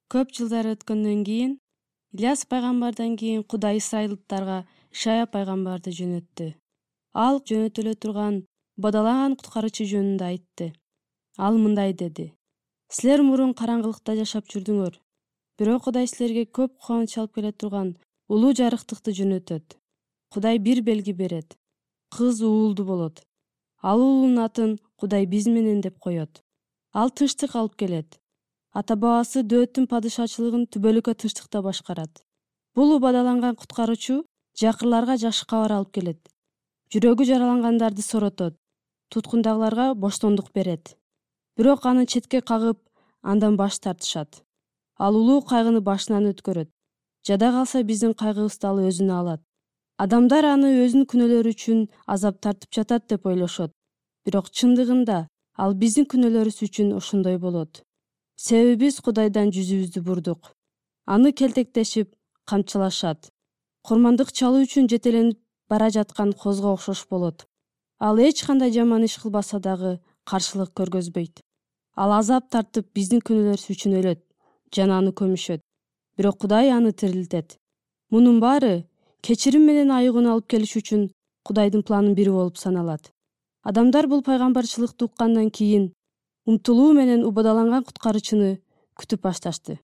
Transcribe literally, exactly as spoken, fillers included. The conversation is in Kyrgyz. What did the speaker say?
Көп жылдар өткөндөн кийин Ильяс пайгамбардан кийин Кудай исрайылдыктарга Ишая пайгамбарды жөнөттү. Ал жөнөтүлө турган бадалаган куткаруучу жөнүндө айтты. Ал мындай деди: Силер мурун караңгылыкта жашап жүрдүңөр, бирок Кудай силерге көп кубаныч алып келе турган улуу жарыктыкты жөнөтөт. Кудай бир белги берет: кыз уулду болот. Ал уулунун атын Кудай биз менен деп коет. Ал тынчтык алып келет. Ата-бабасы Дөөттүн падышачылыгын түбөлүккө тынчтыкта башкарат. Бул убадаланган куткаруучу жакырларга жакшы кабар алып келет. Жүрөгү жаралангандарды соротот, туткундагыларга боштондук берет. Бирок аны четке кагып, андан баш тартышат. Ал улуу кайгыны башынан өткөрөт. Жада калса биздин кайгыбызды ал өзүнө алат. Адамдар аны өзүнүн күнөөлөрү үчүн азап тартып жатат деп ойлошот. Бирок чындыгында ал биздин күнөөлөрүбүз үчүн ошондой болот. Себеби биз Кудайдан жүзүбүздү бурдук. Аны келтектешип, камчылашат. Курмандык чалуу үчүн жетеленип бара жаткан козго окшош болот. Ал эч кандай жаман иш кылбаса дагы каршылык көргөзбөйт. Ал азап тартып биздин күнөөлөрүбүз үчүн өлөт жана аны көмүшөт. Бирок Кудай аны тирилтет. Мунун баары кечирим менен айыгууну алып келиш үчүн Кудайдын планынын бири болуп саналат. Адамдар бул пайгамбарчылыкты уккандан кийин умтулуу менен убадаланган куткаруучуну күтүп башташты.